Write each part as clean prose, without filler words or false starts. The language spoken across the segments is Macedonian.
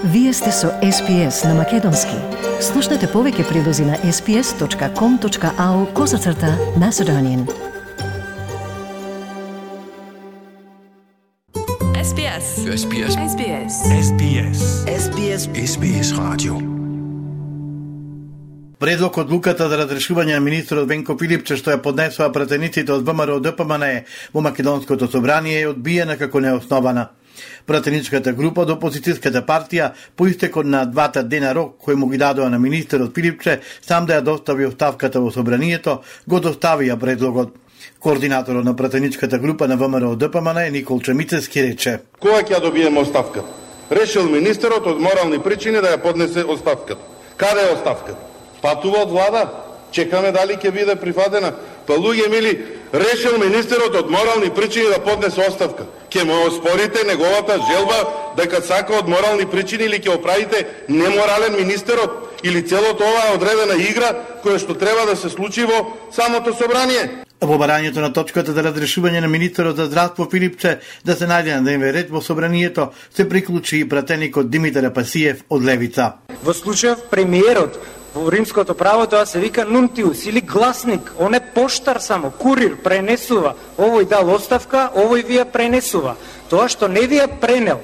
Вие сте со SPS на Македонски. Слушнете повеќе прилози на sps.com.au/Macedonian. SBS. SBS. SBS. SBS. SBS. SBS радио. Предлог одлуката за разрешување на министерот Венко Филипче, што ја поднесоа пратениците од ВМРО ДПМН во Македонското собрание, е одбиена како неоснована. Пратеничката група од опозицијската партија по истекот на 2 дена рок кој му ги дадоа на министерот Филипче сам да ја достави оставката во собранието, го доставија предлогот. Координаторот на пратеничката група на ВМРО ДПМН Никол Чемицевски рече: Кога ќе ја добиеме оставката? Решил министерот од морални причини да ја поднесе оставката. Каде е оставката? Патува од влада? Чекаме дали ќе биде прифатена. Па луѓе мили, решил министерот од морални причини да поднесе оставка. Ќе му оспорите неговата желба дека сака од морални причини или ќе оправите неморален министерот или целото ова е одредена игра која што треба да се случи во самото собрание. Во барањето на точката за разрешување на министерот за здравство Филипче да се најде на дневен ред во собранието се приклучи и пратеникот Димитар Апасиев од Левица. Во случајов премиерот во римското право тоа се вика нунтиус или гласник, он е поштар само, курир, пренесува. Овој дал оставка, овој ви ја пренесува. Тоа што не ви ја пренел,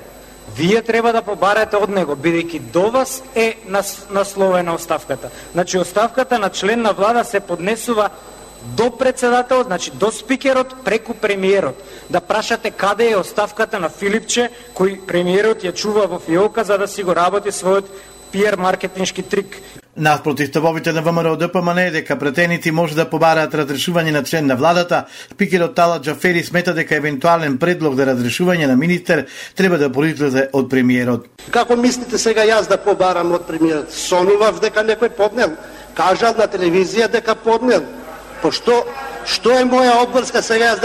вие треба да побарате од него, бидејќи до вас е насловена оставката. Значи оставката на член на влада се поднесува до председателот, значи до спикерот преку премиерот. Да прашате каде е оставката на Филипче, кој премиерот ја чува во фиолка за да си го работи својот пиар маркетиншки трик. Наспроти ставовите на ВМРО ДПМН дека пратеници може да побараат разрешување на член на владата, спикерот Талат Джафери смета дека евентуален предлог за разрешување на министер треба да произлезе од премиерот. Како мислите сега јас да побарам од премиерот? Сонував дека некој поднел, кажал на телевизија дека поднел. Па што е моја обврска сега јас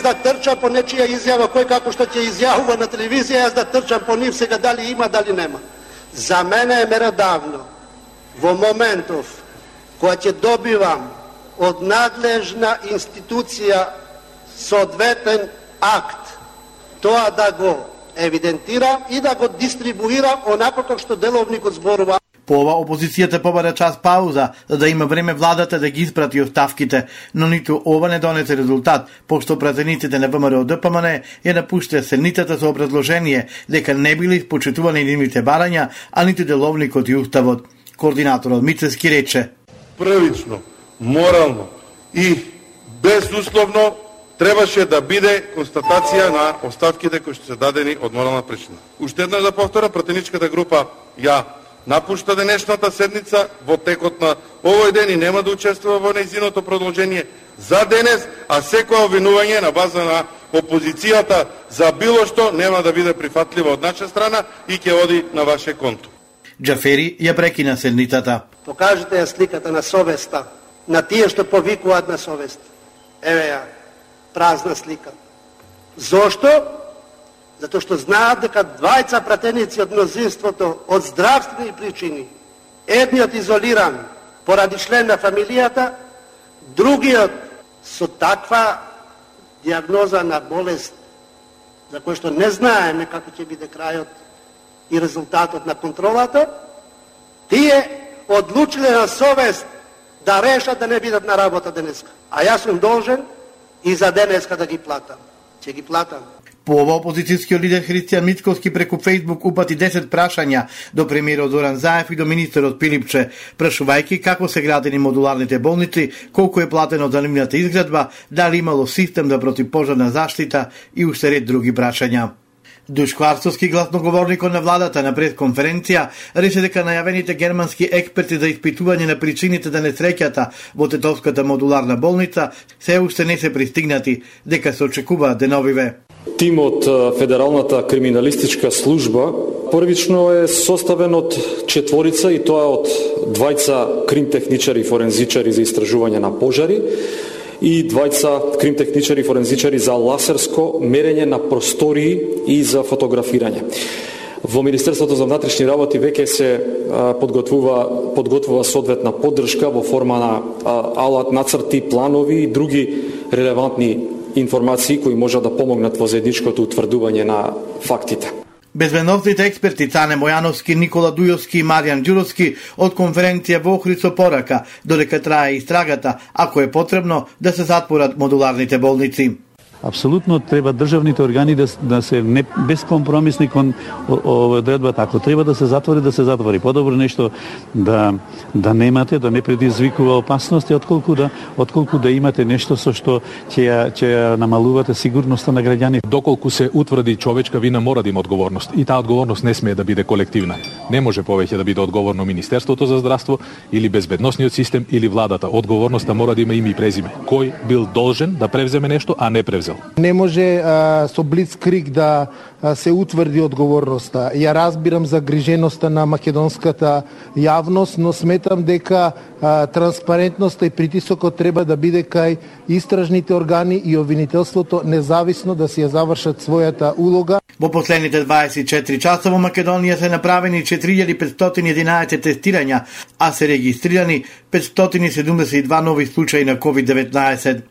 да трчам по нечија изјава, кој како што ќе изјавува на телевизија, јас да трчам по нив сега дали има, дали нема. За мене е меродавно во моментов кога ќе добивам од надлежна институција соодветен акт, тоа да го евидентирам и да го дистрибуирам онако како што деловникот зборува. По ова опозицијата побара час пауза за да има време владата да ги испрати оставките, но ниту ова не донесе резултат, пошто пратениците на ВМРО ДПМН ја напуштија седницата со образложение дека не били испочитувани нивните барања, а ниту деловникот и уставот. Координаторот Мицевски рече: Првично, морално и безусловно требаше да биде констатација на оставките кои што се дадени од морална причина. Уште еднаш да повторам, пратеничката група ја напушта денешната седница во текот на овој ден и нема да учествува во нејзиното продолжение за денес, а секоја обвинување на база на опозицијата за било што нема да биде прифатливо од наша страна и ќе оди на ваше конто. Джафери ја прекина седницата. Покажете ја сликата на совеста, на тие што повикуваат на совест. Еве ја, празна слика. Зошто? Затоа што знаат дека двајца пратеници од мнозинството од здравствени причини, едниот изолиран поради член на фамилијата, другиот со таква диагноза на болест за кој што не знаеме како ќе биде крајот и резултатот на контролата, тие одлучиле на совест да решат да не бидат на работа денеска. А јас сум должен и за денеска да ги платам. Ќе ги платам. По ова опозицијскиот лидер Христијан Мицковски преку Фејсбук упати 10 прашања до премиерот Зоран Заев и до министерот Филипче, прашувајќи како се градени модуларните болници, колку е платено за нивната изградба, дали имало систем за противпожарна заштита и уште ред други прашања. Душко Арцовски, гласноговорникот на владата на пресконференција, рече дека најавените германски експерти за испитување на причините за несреќата во Тетовската модуларна болница се уште не се пристигнати, дека се очекуваат деновиве. Тимот Федералната криминалистичка служба првично е составен од 4 и тоа од 2 кримтехничари и форензичари за истражување на пожари и 2 кримтехничари и форензичари за ласерско мерење на простории и за фотографирање. Во Министерството за внатрешни работи веќе се подготвува соодветна поддршка во форма на алат, нацрти, планови и други релевантни информации кои можат да помогнат во заедничкото утврдување на фактите. Безбедносните експерти Цане Мојановски, Никола Дујовски и Маријан Ѓуровски од конференција во Охрид со порака, додека трае истрагата, ако е потребно, да се затворат модуларните болници. Апсолутно треба државните органи да се не безкомпромисни кон одредбата. Ако треба да се затвори. Подобро нешто да немате, да не предизвикува опасности, отколку да имате нешто со што ќе намалувате сигурноста на граѓаните. Доколку се утврди човечка вина, мора да има одговорност. И таа одговорност не смее да биде колективна. Не може повеќе да биде одговорно Министерството за здравство или безбедносниот систем или владата. Одговорноста мора да има име и презиме. Кој бил должен да превземе нешто, а не превзел. Не може со блицкриг да се утврди одговорноста. Ја разбирам загриженоста на македонската јавност, но сметам дека транспарентноста и притисокот треба да биде кај истражните органи и обвинителството независно да си ја завршат својата улога. Во последните 24 часа во Македонија се направени 4511 тестирања, а се регистрирани 572 нови случаи на COVID-19.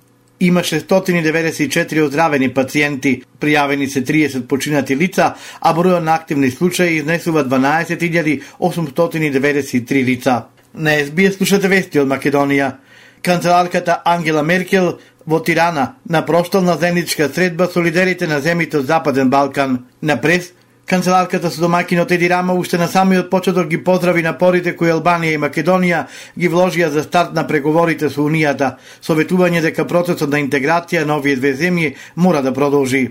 Има 694 оздравени пациенти, пријавени се 30 починати лица, а бројот на активни случаи изнесува 12.893 лица. На СБС слушате вести од Македонија. Канцеларката Ангела Меркел во Тирана на проштална заедничка средба со лидерите на земјите од Западен Балкан. На прес, канцеларката со домаќинот Еди Рама уште на самиот почеток ги поздрави напорите кои Албанија и Македонија ги вложија за старт на преговорите со Унијата, советување дека процесот на интеграција на овие две земји мора да продолжи.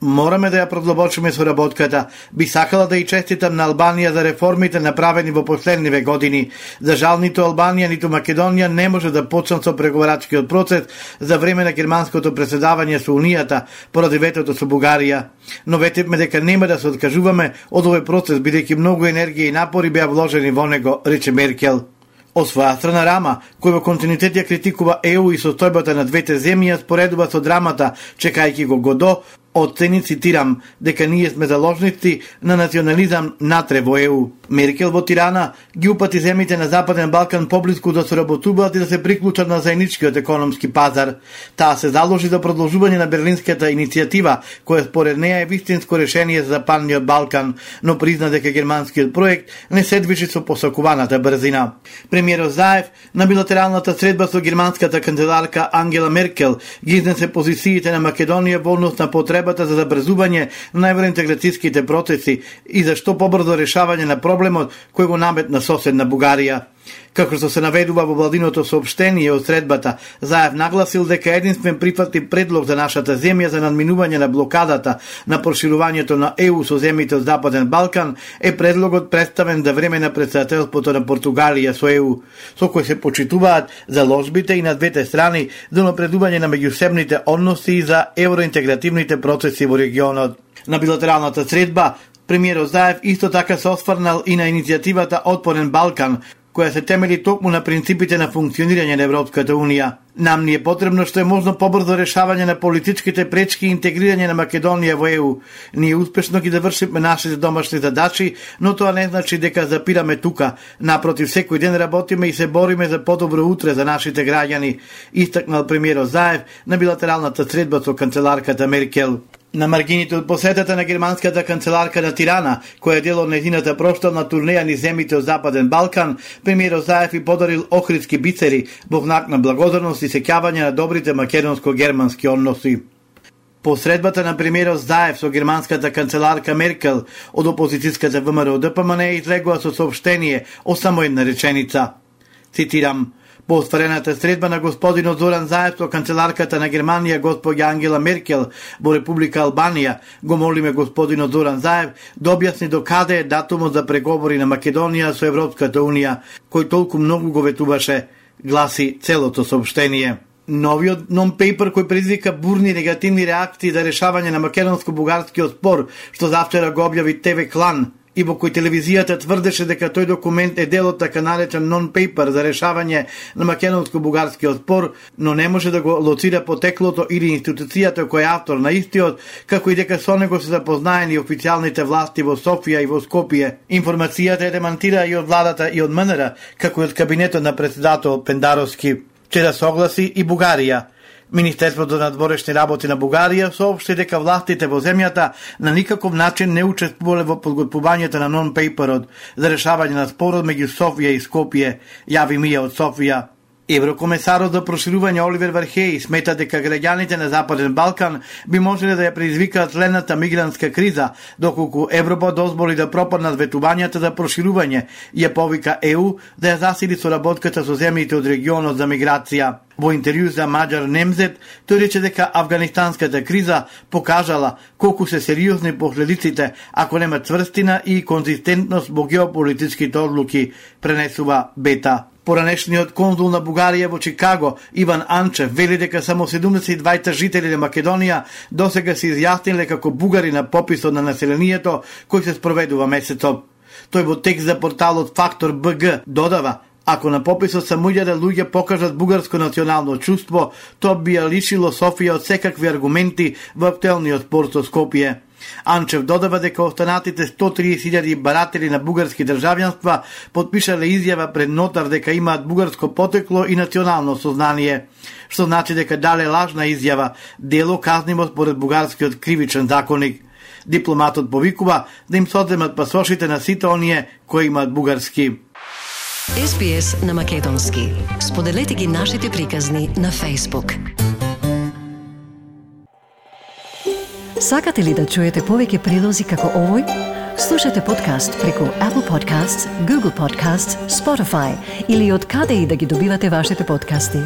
Мораме да ја продлабочиме соработката. Би сакала да и честитам на Албанија за реформите направени во последниве години. За жал, ниту Албанија, ниту Македонија не може да почнат со преговарачкиот процес за време на германското преседавање со Унијата поради ветото со Бугарија. Но ветивме дека нема да се откажуваме од овој процес, бидејќи многу енергија и напори беа вложени во него, рече Меркел. Од своја страна Рама, кој во континуитет ја критикува ЕУ и состојбата на двете земји, споредува со драмата, чекајќи го Годо, оцени, цитирам, дека ние сме заложници на национализам натре во ЕУ. Меркел во Тирана ги упати земјите на Западен Балкан поблиску да соработуваат и да се приклучат на заедничкиот економски пазар. Таа се заложи за продолжување на Берлинската иницијатива, која според неја е вистинско решение за Западниот Балкан, но призна дека германскиот проект не се движи со посакуваната брзина. Премиерот Заев на билатералната средба со германската канцеларка Ангела Меркел ги изнесе позициите на Македонија во однос на потребата за забрзување на евроинтеграцијските процеси и за што побрзо решавање на проблемот кој го наметна соседна Бугарија. Како што се наведува во владиното соопштение од средбата, Заев нагласил дека единствен прифатлив предлог за нашата земја за надминување на блокадата на проширувањето на ЕУ со земјите од Западен Балкан е предлогот представен за време на претседателството на Португалија со ЕУ, со кој се почитуваат заложбите и на двете страни за напредување на меѓусебните односи и за евроинтегративните процеси во регионот. На билатералната средба, премиерот Заев исто така се осврнал и на иницијативата Отпорен Балкан, која се темели токму на принципите на функционирање на Европската Унија. Нам ни е потребно што е можно побрзо решавање на политичките пречки и интегрирање на Македонија во ЕУ. Ние успешно ги завршивме нашите домашни задачи, но тоа не значи дека запираме тука. Напротив, секој ден работиме и се бориме за подобро утре за нашите граѓани, истакнал премиерот Заев на билатералната средба со канцеларката Меркел. На маргините од посетата на германската канцеларка на Тирана, која е дел од нејзината проштална турнеја низ земјите од Западен Балкан, премиерот Заев и подарил охридски бицери во знак на благодарност и сеќавање на добрите македонско-германски односи. По средбата на премиерот Заев со германската канцеларка Меркел од опозицијската ВМРО ДПМН излегува со соопштение о само една реченица. Цитирам: по остварената средба на господинот Зоран Заев со канцеларката на Германија госпоѓа Ангела Меркел во Република Албанија, го молиме господинот Зоран Заев да објасни до каде е датумот за преговори на Македонија со Европската Унија, кој толку многу го ветуваше, гласи целото соопштение. Новиот нон-пейпер кој предизвика бурни негативни реакции за решавање на македонско-бугарскиот спор, што завчера го објави ТВ Клан, и во кој телевизијата тврдеше дека тој документ е дел од така наречен нон-пейпер за решавање на македонско-бугарскиот спор, но не може да го лоцира потеклото или институцијата која е автор на истиот, како и дека со него се запознаени официјалните власти во Софија и во Скопје. Информацијата е демантира и од владата и од МНР, како и од кабинетот на претседател Пендаровски. Вчера согласи и Бугарија. Министерството на надворешни работи на Бугарија соопшти дека властите во земјата на никаков начин не учествувале во подготвувањето на нон-пейперот за решавање на спорот меѓу Софија и Скопје, јави Мија од Софија. Еврокомесарот за проширување Оливер Вархеј смета дека граѓаните на Западен Балкан би можеле да ја предизвикаат следната мигрантска криза, доколку Европа дозволи да пропаднат ветувањата за проширување и ја повика ЕУ да ја засили соработката со земјите од регионот за миграција. Во интервју за Маџар Немзет, тој рече дека афганистанската криза покажала колку се сериозни последиците ако нема цврстина и конзистентност во геополитичките одлуки, пренесува Бета. Поранешниот конзул на Бугарија во Чикаго, Иван Анчев, вели дека само 72 жители на Македонија досега се изјасниле како бугари на пописот на населението кој се спроведува месецот. Тој во текст за порталот Фактор БГ додава: ако на пописот само 1000 луѓе покажат бугарско национално чувство, тоа би ја лишило Софија од секакви аргументи во актуелниот спор со Скопје. Анчев додава дека останатите 130.000 баратели на бугарски државјанства потпишале изјава пред нотар дека имаат бугарско потекло и национално сознание, што значи дека дале лажна изјава, дело казниво според бугарскиот кривичен законник. Дипломатот повикува да им соземат пасошите на сите оние кои имаат бугарски. SBS на македонски. Споделете ги нашите приказни на Facebook. Сакате ли да чуете повеќе прилози како овој? Слушате подкаст преку Apple Podcasts, Google Podcasts, Spotify или од каде и да ги добивате вашите подкасти.